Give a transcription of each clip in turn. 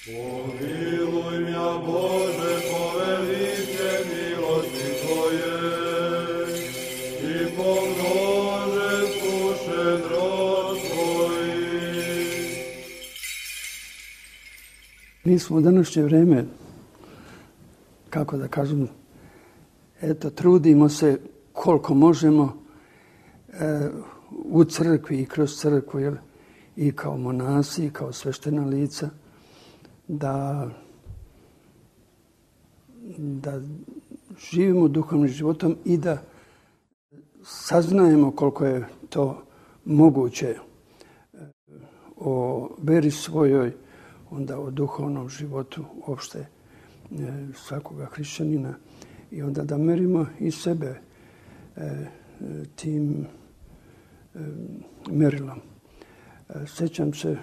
Pomiluj mja Bože po velike milosti Tvoje i pomnože šedrost Tvojih. Mi smo u današnje vreme, kako da kažem, trudimo se koliko možemo u crkvi i kroz crkvu, i kao monasi, i kao sveštena lica, da živimo duhovnim životom i da saznajemo koliko je to moguće o veri svojoj, onda o duhovnom životu uopšte svakoga hrišćanina, i onda da merimo i sebe tim merilom. Sjećam se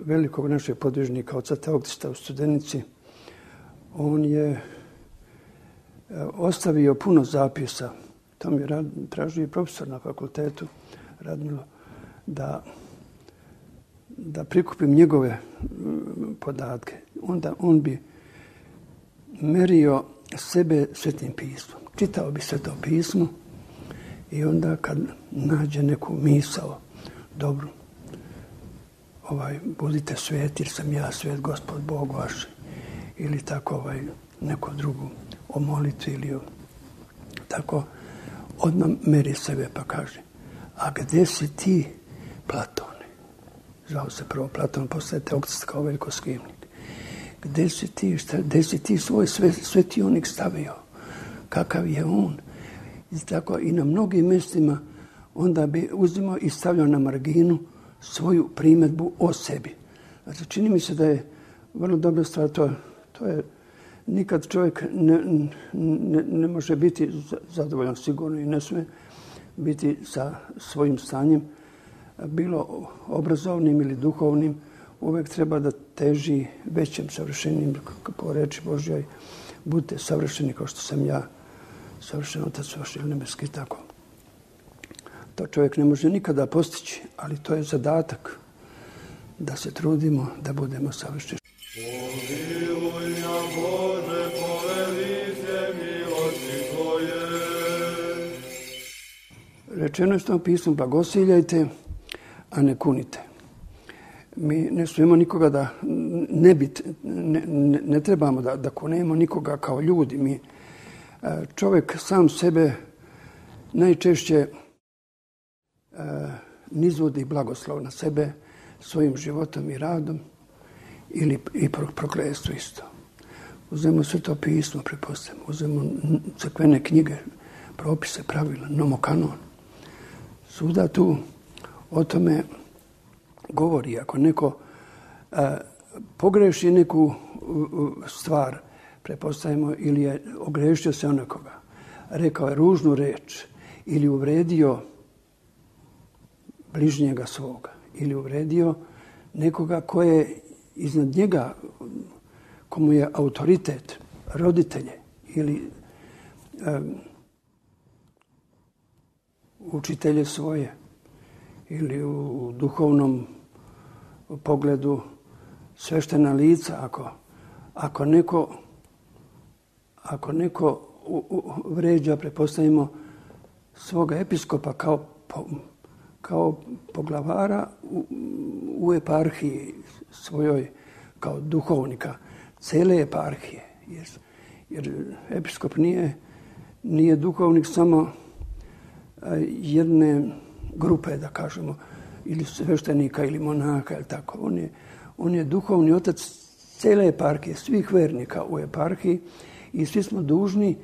velikog našeg podvižnika, oca Teoktista u Studenici. On je ostavio puno zapisa. To mi je tražio i profesor na fakultetu, Radmilo, da prikupim njegove podatke. Onda on bi merio sebe Svetim pismom. Čitao bi Sveto pismo i onda kad nađe neku misao, dobro, budite sveti jer sam ja svet, Gospod Bog vaš, ili tako neku drugu o molitvi ili tako, odmah meri sebe pa kaže: a gdje si ti, Platone? Zvao se prvo Platon, poslije Teoktist kao velikoskivnik. Gdje si ti, gdje si ti svoj svetionik stavio? Kakav je on? I tako i na mnogim mjestima onda bi uzimao i stavljao na marginu svoju primjedbu o sebi. Znači, čini mi se da je vrlo dobra stvar, to je nikad čovjek ne može biti zadovoljan sigurno i ne smije biti sa svojim stanjem, bilo obrazovnim ili duhovnim, uvijek treba da teži većem savršenjem, po reči Božjoj, budite savršeni kao što sam ja savršen, Otac vaš nebeski, tako. To čovjek ne može nikada postići, ali to je zadatak da se trudimo da budemo savršeni. Pomiluj mja Bože po velike milosti Tvoje. Rečeno je u Svetom pismu: blagosiljajte, a ne kunite. Mi ne smijemo nikoga da ne trebamo da kunemo nikoga kao ljudi. Čovjek sam sebe najčešće nizvodi blagoslov na sebe svojim životom i radom ili i prokletstvo isto. Uzmemo Sveto pismo, pretpostavljamo, uzmemo crkvene knjige, propise, pravila, nomokanon. Svuda tu o tome govori. Ako neko pogreši neku stvar, pretpostavimo, ili je ogrešio se o nekoga, rekao je ružnu reč ili uvredio bližnjega svoga ili uvredio nekoga ko je iznad njega, komu je autoritet, roditelje ili učitelje svoje, ili u duhovnom pogledu sveštena lica. Ako neko vređa, pretpostavimo, svoga episkopa kao poglavara u eparhiji svojoj, kao duhovnika cele eparhije. Jer episkop nije duhovnik samo jedne grupe, da kažemo, ili sveštenika ili monaka, ili tako. On je duhovni otac cele eparhije, svih vernika u eparhiji, i svi smo dužni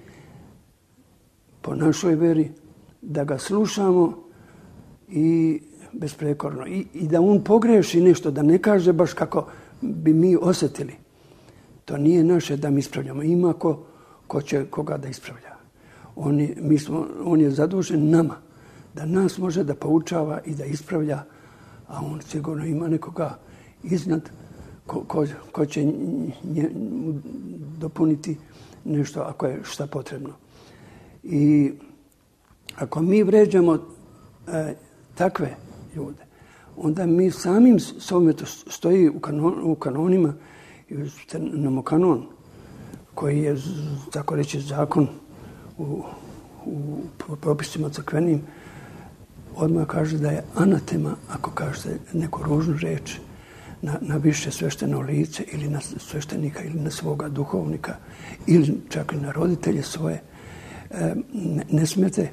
po našoj veri da ga slušamo i besprekorno. I da on pogreši nešto, da ne kaže baš kako bi mi osjetili. To nije naše da mi ispravljamo. Ima ko će koga da ispravlja. On je zadužen nama, da nas može da poučava i da ispravlja, a on sigurno ima nekoga iznad ko će dopuniti nešto ako je šta potrebno. I ako mi vređamo takve ljude, onda mi samim sobom, to stoji u kanonima, imamo kanon koji je, tako reći, zakon u propisima crkvenim, odmah kaže da je anatema ako kažete neku ružnu reč na više svešteno lice ili na sveštenika ili na svoga duhovnika ili čak i na roditelje svoje. Ne smijete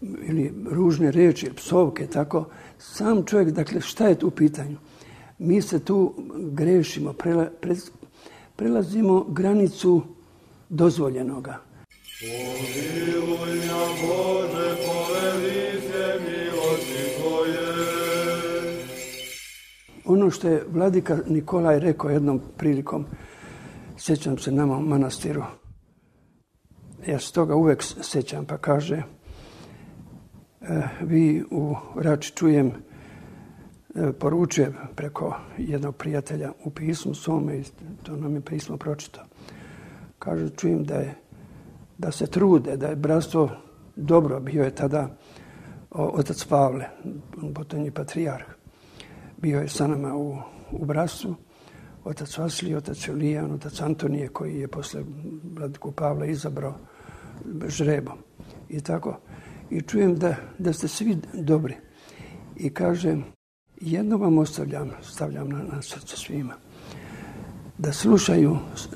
ili ružne reči ili psovke, tako. Sam čovjek, dakle, šta je tu u pitanju? Mi se tu grešimo, prelazimo granicu dozvoljenoga. Pomiluj mja Bože, povedi se milosti Tvoje. Ono što je vladika Nikolaj rekao jednom prilikom, sjećam se nama u manastiru, ja se toga uvek sjećam, pa kaže, vi u Rači čujem, poručuje preko jednog prijatelja u pismu svome, i to nam je pismo pročitao. Kaže, čujem da se trude, da je bratstvo dobro. Bio je tada otac Pavle, potonji patrijarh. Bio je sa nama u bratstvu, otac Vasilij, otac Julijan, otac Antonije, koji je posle vladiku Pavla izabrao žrebom. I tako. I čujem da ste svi dobri. I kaže, jedno vam stavljam na srce svima.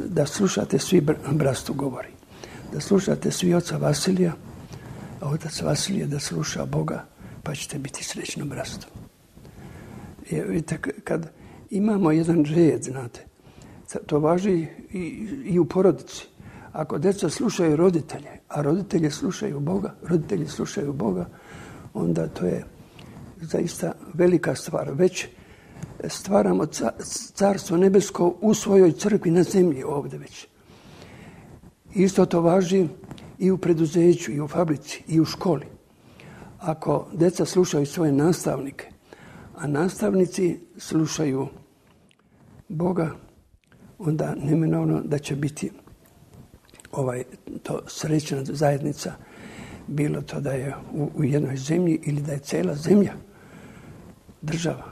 Da slušate svi, bratstvu govori. Da slušate svi oca Vasilija, a otac Vasilije da sluša Boga, pa ćete biti srećno bratstvo. Vidite, kad imamo jedan red, znate, to važi i u porodici. Ako djeca slušaju roditelje, a roditelji slušaju Boga, onda to je zaista velika stvar. Već stvaramo carstvo nebesko u svojoj crkvi na zemlji ovdje već. Isto to važi i u preduzeću, i u fabrici, i u školi. Ako djeca slušaju svoje nastavnike, a nastavnici slušaju Boga, onda neminovno da će biti to srećna zajednica, bilo to da je u jednoj zemlji ili da je cijela zemlja država.